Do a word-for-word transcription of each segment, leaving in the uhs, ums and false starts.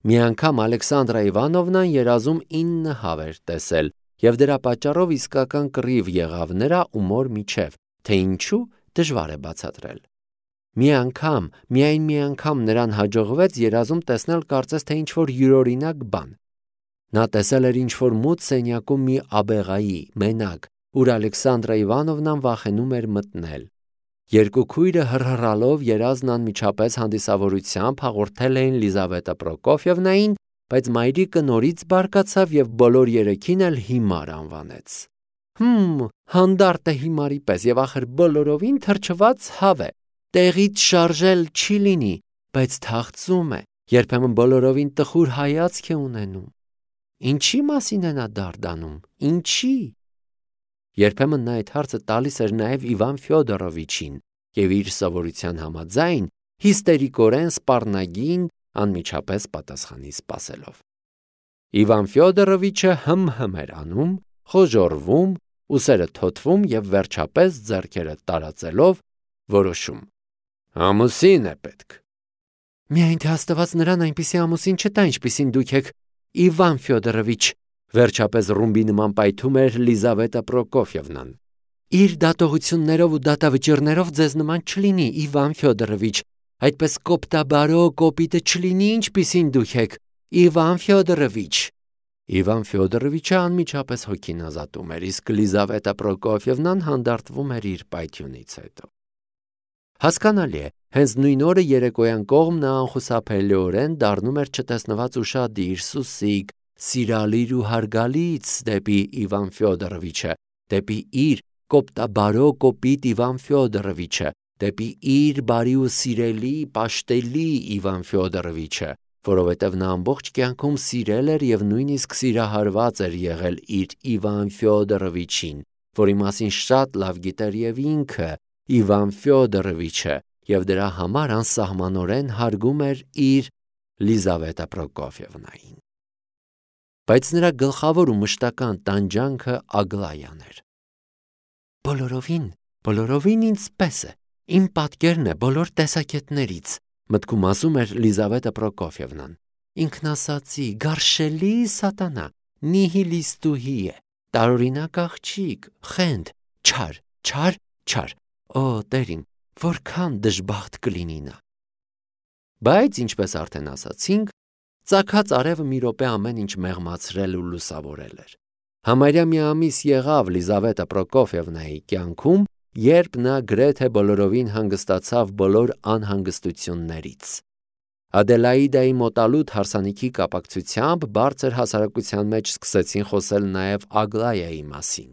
Մի անգամ Ալեքսանդրա Իվանովնան երազում ինը հավ էր տեսել, և դրա պատճառով իսկական կռիվ եղավ նրա ու մոր միջև, թե ինչու դժվար է բացատրել։ Մի անգամ, միայն մի անգամ նրան հաջողվեց երազում տեսնել կարծես թե ինչ-որ յուրօրինակ բան։ Նա տեսել էր ինչ-որ մութ սենյակում մի աբեղայի, մենակ, ուր Ալեքսանդրա Իվանովնան վախենում էր մտնել։ Երկու քույրը հռհռալով երազն անմիջապես հանդիսավորությամբ հաղորդել էին Լիզավետա Պրոկոֆիևնային, բայց մայրիկը նորից բարկացավ և բոլոր երեքին էլ հիմար անվանեց։ Հմ, հանդարտ է հիմարի պես և ախր բոլորովին թրջված հավ է, տեղից շարժել չի լինի, բայց թախծում է, երբեմն բոլորովին տխուր հայացք է ունենում։ Ինչի մասին է նա դարդանում, ինչի։ Երբեմն նա այդ հարցը տալիս էր նաև Իվան Ֆյոդորովիչին և իր սովորության համաձայն հիստերիկորեն սպառնագին անմիջապես պատասխանի սպասելով։ Իվան Ֆյոդորովիչը հմ-հմ էր անում, խոժոռվում, ուսերը թոթվում և վերջապես ձեռքերը տարածելով որոշում. ամուսին է պետք։ Միայն թե Աստված նրան այնպիսի ամուսին չտա, ինչպիսին դուք եք, Իվան Ֆյոդորովիչ, վերջապես ռումբի նման պայթում էր Լիզավետա Պրոկոֆիևնան։ Իր դատողություններով ու դատավճիռներով ձեզ նման չլինի, Իվան Ֆյոդորովիչ, այդպես կոպտաբարո կոպիտը չլինի, ինչպիսին դուք եք, Իվան Ֆյոդորովիչ։ Իվան Ֆյոդորովիչը անմիջապես հոգին ազատում էր, իսկ Լիզավետա Պրոկոֆիևնան հանդարտվում էր իր պայթյունից հետո։ Հասկանալի է, հենց նույն օրը երեկոյան կողմ նա անխուսափելիորեն դառնում էր չտեսնված ուշադիր, սուսիկ, սիրալիր ու հարգալից դեպի Իվան Ֆյոդորովիչը, դեպի իր կոպտաբարո կոպիտ Իվան Ֆյոդորովիչը, դեպի իր բարի ու սիրելի, պաշտելի Իվան Ֆյոդորովիչը, որովհետև նա ամբողջ կյանքում սիրել էր և նույնիսկ սիրահարված էր եղել իր Իվան Ֆյոդորովիչին, որի մասին շատ լավ գիտեր և ինքը, Իվան Ֆյոդորովիչը, և դրա համար անսահմանորեն հարգում էր իր Լիզավետա Պրոկոֆիևնային։ Բայց նրա գլխավոր ու մշտական տանջանքը Ագլայան էր։ Բոլորովին, բոլորովին ինձպես է, իմ պատկերն է բոլոր տեսակետներից, մտքում ասում էր Լիզավետա Պրոկոֆիևնան։ Ինքնասածի, գարշելի սատանա, նիհիլիստուհի է, տարօրինակ աղջիկ, խենթ, չար, չար, չար, օ տերին, որքան դժբախտ կլինի նա։ Բայց, ինչպես արդեն ասացինք, ծագած արևը մի րոպե ամեն ինչ մեղմացրել ու լուսավորել էր։ Համարյա մի ամիս եղավ Լիզավետա Պրոկոֆիևնայի կյանքում, երբ նա գրեթե բոլորովին հանգստացավ բոլոր անհանգստություններից։ Ադելաիդայի մոտալուտ հարսանիքի կապակցությամբ բարձր հասարակության մեջ սկսեցին խոսել նաև Ագլայայի մասին։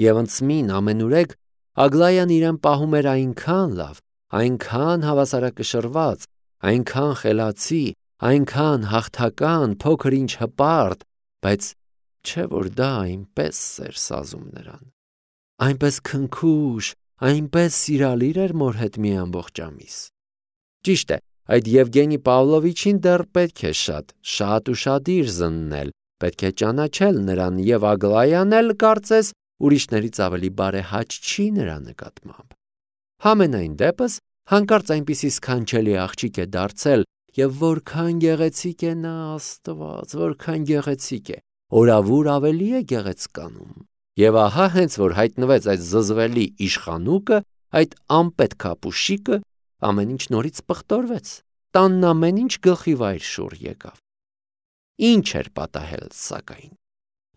Եվ ընծմին ամենուրեք Ագլայան իրեն պահում էր այնքան լավ, այնքան հավասարակշռված, այնքան խելացի, այնքան հաղթական, փոքր ինչ հպարտ, բայց չէ որ դա այնպես էր սազում նրան։ Այնպես քնքուշ, այնպես սիրալիր էր մոր հետ մի ամբողջ ամիս։ Ճիշտ է, այդ Եվգենի Պավլովիչին դեռ պետք է շատ, շատ ուշադիր զննել, պետք է ճանաչել նրան և Ագլայան էլ կարծես ուրիշներից ավելի բարեհաճ չի նրա նկատմամբ։ Համենայն դեպս, հանկարծ այնպիսի սքանչելի աղջիկ է դարձել, և որքան գեղեցիկ է նա, Աստված, որքան գեղեցիկ է, օրավուր ավելի է գեղեցկանում։ Եվ ահա հենց որ հայտնվեց այդ զզվելի իշխանուկը, այդ անպետք ապուշիկը, ամեն ինչ նորից պղտորվեց, տանն ամեն ինչ գլխի վայր շուռ եկավ։ Ինչ էր պատահել, սակայն։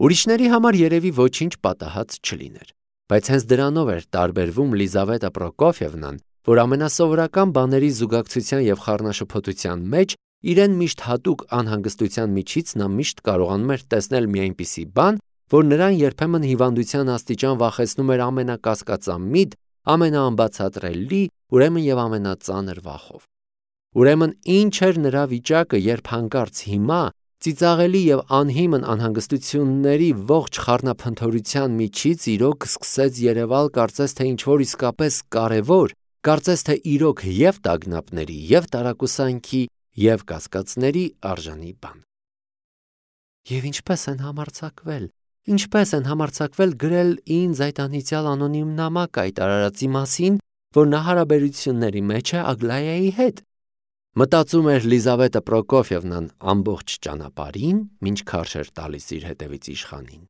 Ուրիշների համար երևի ոչինչ պատահած չլիներ, բայց հենց դրանով էր տարբերվում Լիզավետա Պրոկոֆիևնան, որ ամենասովորական բաների զուգակցության և խառնաշփոթության մեջ իրեն միշտ հատուկ անհանգստության միջից նա միշտ կարողանում էր տեսնել մի այնպիսի բան, որ նրան երբեմն հիվանդության աստիճան վախեցնում էր ամենակասկածամիտ, ամենաանբացատրելի, ուրեմն և ամենածանր վախով։ Ուրեմն ինչ էր նրա վիճակը, երբ հանկարծ հիմա ծիծաղելի և անհիմն անհանգստությունների ողջ խառնափնթորության միջից իրոք սկսեց երևալ կարծես թե ինչ-որ իսկապես կարևոր, կարծես թե իրոք և տագնապների, և տարակուսանքի, և կասկածների արժանի բան։ Եվ ինչպես են համարձակվել, ինչպես են համարձակվել գրել ինձ այդ անիծյալ անոնիմ նամակը այդ արարածի մասին, որ նա հարաբերությունների մեջ է Ագլայայի հետ։ Մտածում էր Լիզավետը Պրոկոֆիևնան ամբողջ ճանապարհին, մինչ քարշ էր տալիս իր հետևից իշխանին,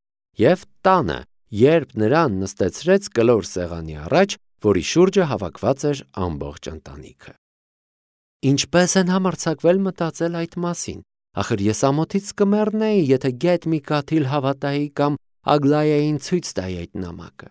եւ տանը, երբ նրան նստեցրեց կլոր սեղանի առաջ, որի շուրջը հավաքված էր ամբողջ ընտանիքը։ Ինչպես են համարձակվել մտածել այդ մասին։ Ախր ես ամոթից կմեռնեի, եթե գետ մի կաթիլ հավատայի կամ Ագլայային ցույց տայի այդ նամակը։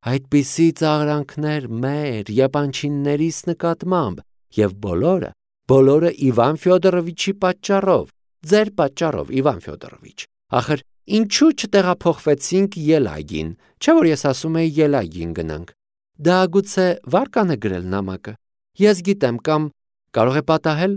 Այդպիսի ծաղրանքներ մեր եպանչիններիս նկատմամբ, եւ բոլորը, բոլորը Իվան Ֆյոդորովիչի պատճառով, ձեր պատճառով, Իվան Ֆյոդորովիչ։ Ախր ինչու չտեղափոխվեցինք Ելագին, չէ՞ որ ես ասում էի Ելագին գնանք։ Դա գուցե վարկան է գրել նամակը։ Ես գիտեմ, կամ կարող է պատահել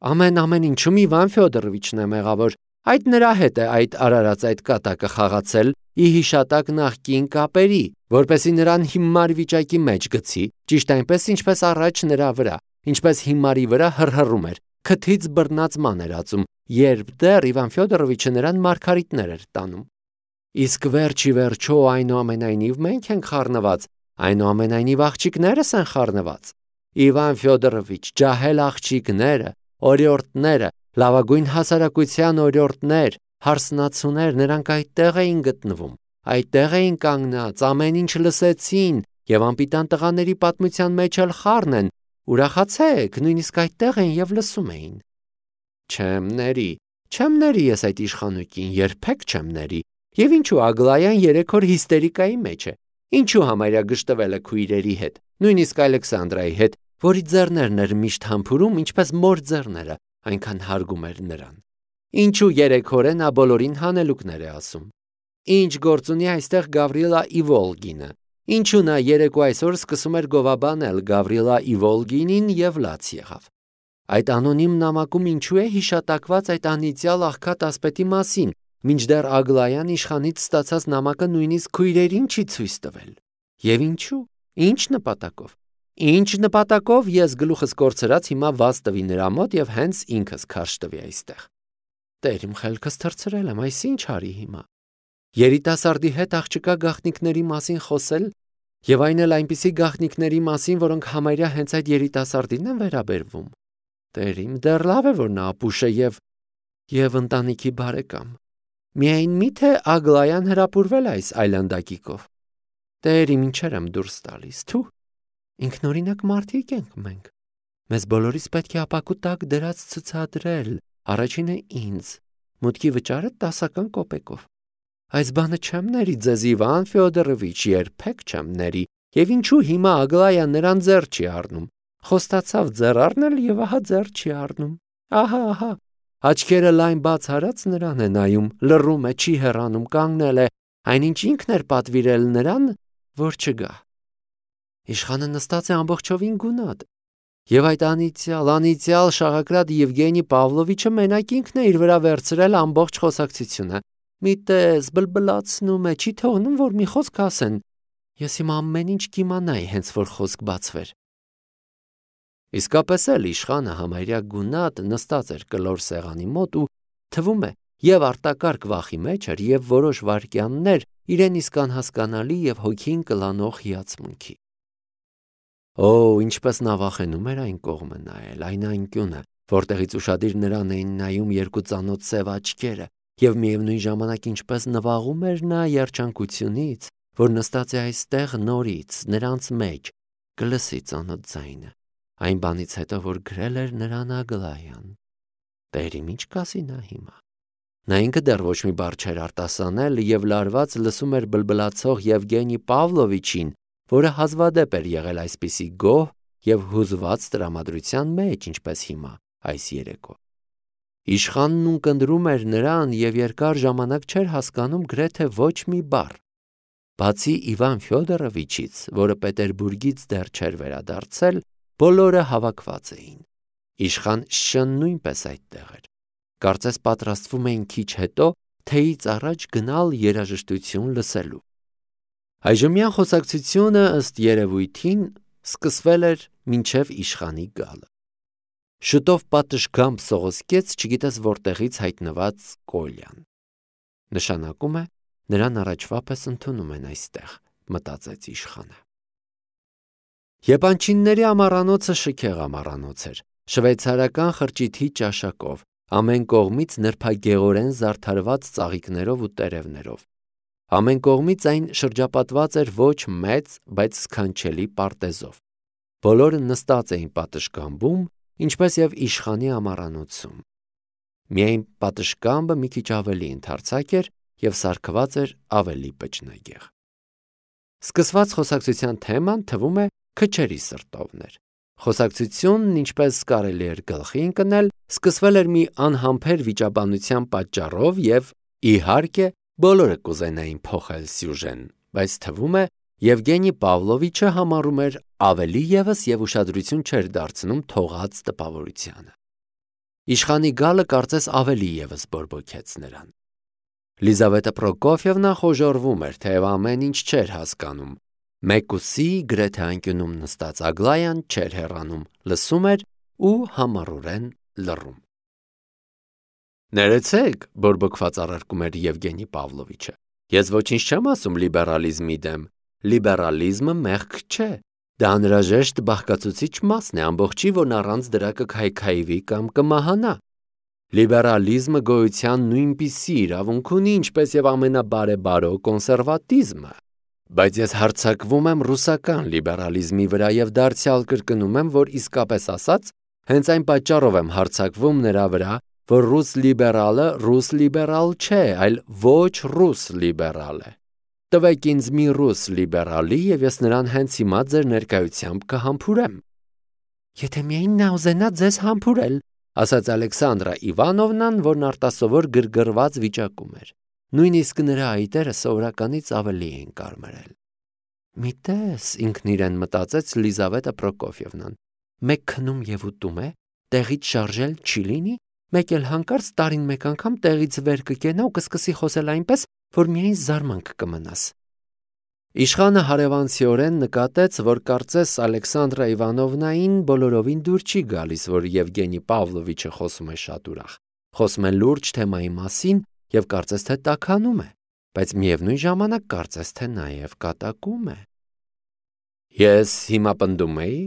ամեն ամեն ինչում Իվան Ֆյոդորովիչն է մեղավոր։ Այդ նրա հետ է այդ արարած այդ կատակը խաղացել ի հիշատակ նախկին կապերի, որպեսզի նրան հիմար վիճակի մեջ գցի, ճիշտ այնպես, ինչպես առաջ նրա վրա, ինչպես հիմարի վրա հռհռում էր, քթից բռնած ման էր ածում, երբ դեռ Իվան Ֆյոդորովիչը նրան մարգարիտներ էր տանում։ Իսկ վերջի վերջո այնուամենայնիվ մենք ենք խառնված, այնուամենայնիվ աղջիկներս են խառնված։ Իվան Ֆյոդորովիչ, ջահել աղջիկները, օրիորդները, լավագույն հասարակության օրիորդներ, հարսնացուներ, նրանք այդտեղ էին գտնվում, այդտեղ էին կանգնած, ամեն ինչ լսեցին, եւ անպիտան տղաների պատմության մեջ էլ խառն են, ուրախացեք, նույնիսկ այդտեղ են եւ լսում էին։ Չեմ ների, չեմ ների ես այդ իշխանուկին, երբեք չեմ ների, եւ ինչու Ագլայան երեք օր հիստերիկայի մեջ է, ինչու համարյա գժտվել է քույրերի հետ, նույնիսկ Ալեքսանդրայի հետ, որի ձեռներն էր միշտ համբուրում, ինչպես մոր ձեռները, այնքան հարգում էր նրան։ Ինչու երեք օր է նա բոլորին հանելուկներ է ասում։ Ինչ գործ ունի այստեղ Գավրիլա Իվոլգինը։ Ինչու նա երեկո այսօր սկսում էր գովաբանել Գավրիլա Իվոլգինին եւ լաց եղավ։ Այդ անոնիմ նամակում ինչու է հիշատակված այդ անիծյալ աղքատ ասպետի մասին, մինչդեռ Ագլայան իշխանից ստացած նամակը նույնիսկ քույրերին չի ցույց տվել։ Եվ ինչու։ Ինչ նպատակով։ Ինչ նպատակով ես գլուխս կորցրած հիմա վազ տվի նրա մոտ եւ հենց ինքս քարշ տվի այստեղ։ Տեր իմ խելքս թռցրել եմ, այս ինչ արի հիմա։ Երիտասարդի հետ աղջկա գաղտնիքների մասին խոսել եւ այն էլ այնպիսի գաղտնիքների մասին, որոնք համարյա հենց այդ երիտասարդին են վերաբերվում։ Տեր իմ, դեռ լավ է, որ նա ապուշ է եւ եւ ընտանիքի բարեկամ։ Միայն միթե Ագլայան հրապուրվել այս այլանդակիկով։ Տեր իմ, ինչեր եմ դուրս տալիս, թու։ Ինքնօրինակ մարդիկ ենք մենք։ Մեզ բոլորիս պետք է ապակու տակ դրած ցցադրել, առաջինը ինձ, մուտքի վճարը տասական կոպեկով։ Այս բանը չեմ ների ձեզ Իվան Ֆյոդորովիչ, երբեք չեմ ների, եւ ինչու հիմա Ագլայան նրան ձեռ չի առնում։ Խոստացավ ձեռ առնել եւ ահա ձեռ չի առնում։ Ահա, ահա, աչքերը լայն բաց արած նրան է նայում, լռում է, չի հեռանում, կանգնել է, այնինչ ինքն էր պատվիրել նրան, որ չգա։ Իշխանը նստած է ամբողջովին գունատ։ Եվ այդ անիծյալ, անիծյալ շաղակրատ Եվգենի Պավլովիչը մենակ ինքն է իր վրա վերցրել ամբողջ խոսակցությունը։ Մի տես բլբլացնում է, չի թողնում, որ մի խոսք ասեն։ Ես իմ ամեն ինչ կիմանայի, հենց որ խոսք բացվեր։ Իսկապես էլ իշխանը համարյա գունատ նստած էր կլոր սեղանի մոտ ու թվում է եւ արտակարգ վախի մեջ էր եւ որոշ վայրկյաններ իրեն իսկ անհասկանալի եւ հոգին կլանող հիացմունքի։ Օ, ինչպես նա վախենում էր այն կողմը նայել, այն անկյունը, որտեղից ուշադիր նրան էին նայում երկու ծանոթ սև աչքերը, եւ միևնույն ժամանակ ինչպես նվաղում էր նա երջանկությունից, որ նստած է այստեղ նորից, նրանց մեջ, կլսի ծանոթ ձայնը, այն բանից հետո, որ գրել էր նրան Ագլայան։ Տեր իմ, ինչ կասի նա հիմա։ Նա ինքը դեռ ոչ մի բառ չէր արտասանել եւ լարված լսում էր բլբլացող Եվգենի Պավլովիչին, որը հազվադեպ էր եղել այսպիսի գոհ եւ հուզված տրամադրության մեջ, ինչպես հիմա, այս երեկո։ Իշխանն ունկնդրում էր նրան եւ երկար ժամանակ չէր հասկանում գրեթե ոչ մի բառ։ Բացի Իվան Ֆյոդորովիչից, որը Պետերբուրգից դեռ չէր վերադարձել, բոլորը հավաքված էին։ Իշխան Շ-ն նույնպես այդտեղ էր։ Կարծես պատրաստվում էին քիչ հետո թեյից առաջ գնալ երաժշտություն լսելու։ Այժմյան խոսակցությունը ըստ երևույթին սկսվել էր մինչև իշխանի գալը։ Շուտով պատշգամբ սողոսկեց չգիտես որտեղից հայտնված Կոլյան։ Նշանակում է նրան առաջվա պես ընդունում են այստեղ, մտածեց իշխանը։ Եպանչինների ամառանոցը շքեղ ամառանոց էր, շվեյցարական խրճիթի ճաշակով, ամեն կողմից նրբագեղորեն զարդարված ծաղիկներով ու տերևներով։ Ամեն կողմից այն շրջապատված էր ոչ մեծ, բայց սքանչելի պարտեզով։ Բոլորը նստած էին պատշգամբում, ինչպես և իշխանի ամառանոցում։ Միայն պատշգամբը մի քիչ ավելի ընդարձակ էր և սարքված էր ավելի բջնագեղ։ Սկսված խոսակցության թեման թվում է քչերի սրտովն էր։ Խոսակցությունն, ինչպես կարելի էր գլխի ընկնել, սկսվել էր մի անհամբեր վիճաբանության պատճառով և, իհարկե, բոլորը կուզենային փոխել սյուժեն, բայց թվում է Եվգենի Պավլովիչը համարում էր ավելի ևս և ուշադրություն չէր դարձնում թողած տպավորությանը։ Իշխանի գալը կարծես ավելի ևս բորբոքեց նրան։ Լիզավետա Պրոկոֆիևնա խոժոռվում էր, թեև ամեն ինչ չէր հասկանում։ Մեկուսի գրեթե անկյունում նստած Ագլայան չէր հեռանում, լսում էր ու համառորեն լռում։ Ներեցեք, բորբոքված առարկում էր Եվգենի Պավլովիչը։ Ես ոչինչ չեմ ասում լիբերալիզմի դեմ։ Լիբերալիզմը մեղք չէ։ Դա անհրաժեշտ բաղկացուցիչ մասն է, ամբողջի, որն առանց դրա կքայքայվի կամ կմահանա։ Լիբերալիզմը գոյության նույնպիսի իրավունք ունի, ինչպես և ամենաբարեբարո կոնսերվատիզմը։ Բայց ես հարձակվում եմ ռուսական լիբերալիզմի վրա և դարձյալ կրկնում եմ, որ իսկապես ասած, հենց այն պատճառով եմ հարձակվում նրա վրա, որ ռուս լիբերալը ռուս լիբերալ չէ, այլ ոչ ռուս լիբերալ է։ Տվեք ինձ մի ռուս լիբերալի, և ես նրան հենց հիմա ձեր ներկայությամբ կհամբուրեմ։ Եթե միայն նա ուզենա ձեզ համբուրել, ասաց Ալեքսանդրա Իվանովնան, որն արտասովոր գրգռված վիճակում էր։ Նույնիսկ նրա այտերը սովորականից ավելի էին կարմրել։ Մի տես, ինքն իրեն մտածեց Լիզավետա Պրոկոֆիևնան, մեկ քնում և ուտում է, տեղից շարժել չի լինի, մեկ էլ հանկարծ տարին մեկ անգամ տեղից վեր կկենա ու կսկսի խոսել այնպես, որ միայն զարմանք կմնաս։ Իշխանը հարևանցիորեն նկատեց, որ կարծես Ալեքսանդրա Իվանովնային բոլորովին դուր չի գալիս, որ Եվգենի Պավլովիչը խոսում է շատ ուրախ, խոսում է լուրջ թեմայի մասին և կարծես թե տաքանում է, բայց միևնույն ժամանակ կարծես թե նաև կատակում է։ Ես հիմա պնդում էի,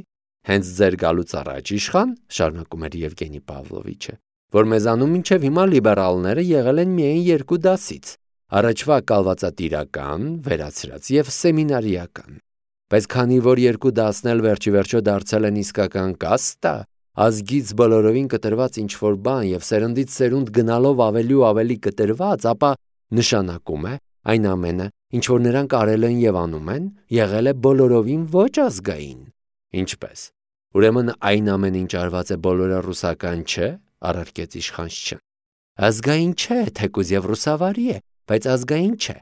հենց ձեր գալուց առաջ, իշխան, շարունակում էր Եվգենի Պավլովիչը, որ մեզանում մինչև հիմա լիբերալները եղել են միայն երկու դասից՝ առաջվա կալվածատիրական, վերացրած և սեմինարիական։ Բայց քանի որ երկու դասն էլ վերջիվերջո դարձել են իսկական կաստա, ազգից բոլորովին կտրված ինչ-որ բան և սերնդից սերունդ գնալով ավելի ու ավելի կտրված, ապա նշանակում է այն ամենը, ինչ որ նրանք արել են և անում են, եղել է բոլորովին ոչ ազգային։ Ինչպես։ Ուրեմն այն ամեն ինչ արված է բոլորը ռուսական չէ, առարկեց իշխանչը։ Ազգային չէ, թեկուզ և ռուսավարի է, բայց ազգային չէ։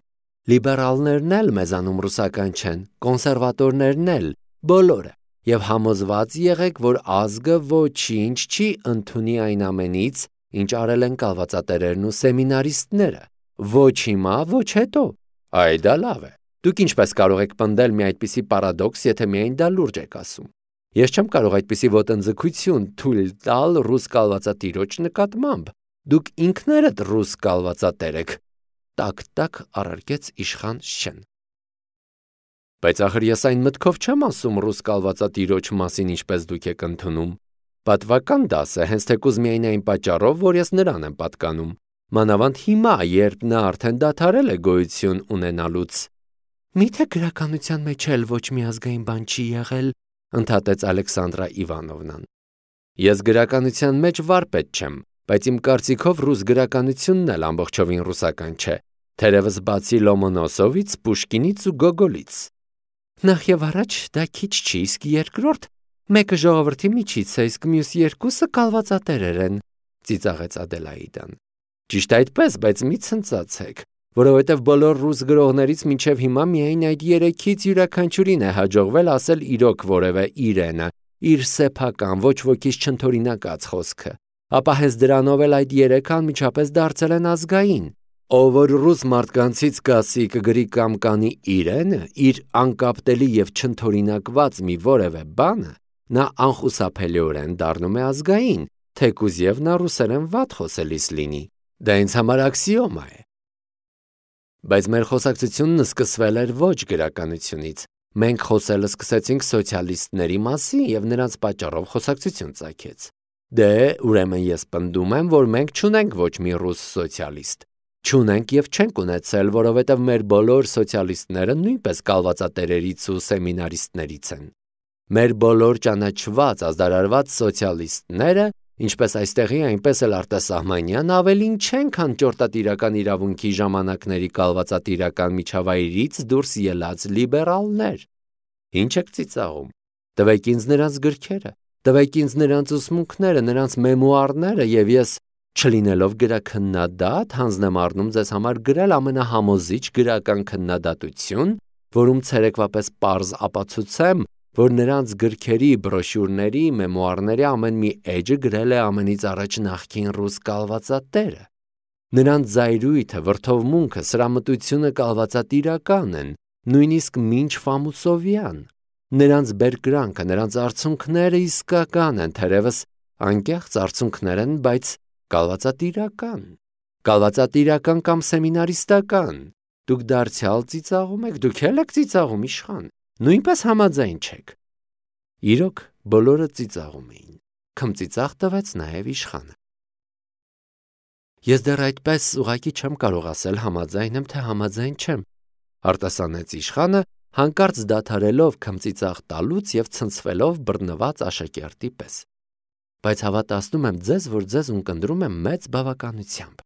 Լիբերալներն էլ մեզանում ռուսական չեն, կոնսերվատորներն էլ, բոլորը, և համոզված եղեք, որ ազգը ոչինչ չի ընդունի այն ամենից, ինչ արել են կալվածատերերն ու սեմինարիստները, ոչ հիմա, ոչ հետո։ Այ դա լավ է։ Դուք ինչպես կարող եք պնդել մի այդպիսի պարադոքս, եթե միայն դա լուրջ եք ասում։ Ես չեմ կարող այդպիսի ոտնձգություն թույլ տալ ռուս կալվածատիրոջ նկատմամբ։ Դուք ինքներդ ռուս կալվածատեր եք, տակ-տակ առարկեց իշխան Շեն։ Բայց ախր ես այն մտքով չեմ ասում ռուս կալվածատիրոջ մասին, ինչպես դուք եք ընդունում։ Պատվական դաս է, հենց թեկուզ միայն այն պատճառով, որ ես նրան եմ պատկանում։ Մանավանդ հիմա, երբ նա արդեն դադարել է գոյություն ունենալուց։ Միթե գրականության մեջ էլ ոչ մի ազգային բան չի եղել, ընդհատեց Ալեքսանդրա Իվանովնան։ Ես գրականության մեջ վարպետ չեմ, բայց իմ կարծիքով ռուս գրականությունն էլ ամբողջովին ռուսական չէ, թերևս բացի Լոմոնոսովից, Պուշկինից ու Գոգոլից։ Նախ եւ առաջ դա քիչ չի, իսկ երկրորդ, մեկը ժողովրդի միջից է, իսկ մյուս երկուսը կալվածատերեր են, ծիծաղեց Ադելաիդան։ Ճիշտ այդպես, բայց մի ցնծացեք, որովհետև բոլոր ռուս գրողներից մինչև հիմա միայն այդ երեքից յուրաքանչյուրին է հաջողվել ասել իրոք որևէ իրենը, իր սեփական, ոչ ոքից չընդօրինակած խոսքը, ապա հենց դրանով էլ այդ երեքը անմիջապես դարձել են ազգային։ Ով որ ռուս մարդկանցից կասի կգրի կամ կանի իրենը, իր անկապտելի և չընդօրինակված մի որևէ բանը, նա անխուսափելիորեն դառնում է ազգային, թեկուզ և նա ռուսերեն վատ խոսելիս լինի։ Դա ինձ համար աքսիոմա է։ Բայց մեր խոսակցությունն սկսվել էր ոչ գրականությունից։ Մենք խոսելը սկսեցինք սոցիալիստների մասին և նրանց պատճառով խոսակցություն ծագեց։ Դե, ուրեմն ես պնդում եմ, որ մենք չունենք ոչ մի ռուս սոցիալիստ։ Չունենք եւ չենք ունեցել, որովհետեւ մեր բոլոր սոցիալիստները նույնպես կալվածատերերից ու սեմինարիստներից են։ Մեր բոլոր ճանաչված ազդարարված սոցիալիստները, ինչպես այստեղի, այնպես էլ արտասահմանյան, ավելին չեն, քան ճորտատիրական իրավունքի ժամանակների կալվածատիրական միջավայրից դուրս ելած լիբերալներ։ Ինչ եք ծիծաղում։ Տվեք ինձ նրանց գրքերը, տվեք ինձ նրանց ուսմունքները, նրանց մեմուարները, եւ ես, չլինելով գրաքննադատ, հանձնեմ առնում ձեզ համար գրել ամենահամոզիչ գրական քննադատություն, որում ցերեկվապես պարզ ապացուցեմ, որ նրանց գրքերի, բրոշյուրների, մեմուարների ամեն մի էջը գրել է ամենից առաջ նախկին ռուս կալվածատերը։ Նրանց զայրույթը, վրդովմունքը, սրամտությունը կալվածատիրական են, նույնիսկ մինչ Ֆամուսովյան։ Նրանց բերկրանքը, նրանց արցունքները իսկական են, թերևս անկեղծ արցունքներ են, բայց կալվածատիրական, կալվածատիրական կամ սեմինարիստական։ Դուք դարձյալ ծիծաղում եք, դուք էլ եք ծիծաղում, իշխան, նույնպես համաձայն չեք։ Իրոք, բոլորը ծիծաղում էին, քմծիծաղ տվեց նաև իշխանը։ Ես դեռ այդպես ուղղակի չեմ կարող ասել համաձայն եմ, թե համաձայն չեմ, արտասանեց իշխանը, հանկարծ դադարելով քմծիծաղ տալուց եւ ցնցվելով բռնված աշակերտի պես։ Բայց հավատացնում եմ ձեզ, որ ձեզ ունկնդրում եմ մեծ բավականությամբ։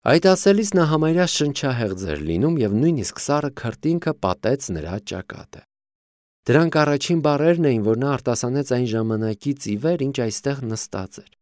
Այդ ասելիս նա համարյա շնչահեղձ էր լինում եւ նույնիսկ սառը քրտինքը պատեց նրա ճակատը։ Դրանք առաջին բառերն էին, որ նա արտասանեց այն ժամանակից ի վեր, ինչ այստեղ նստած էր։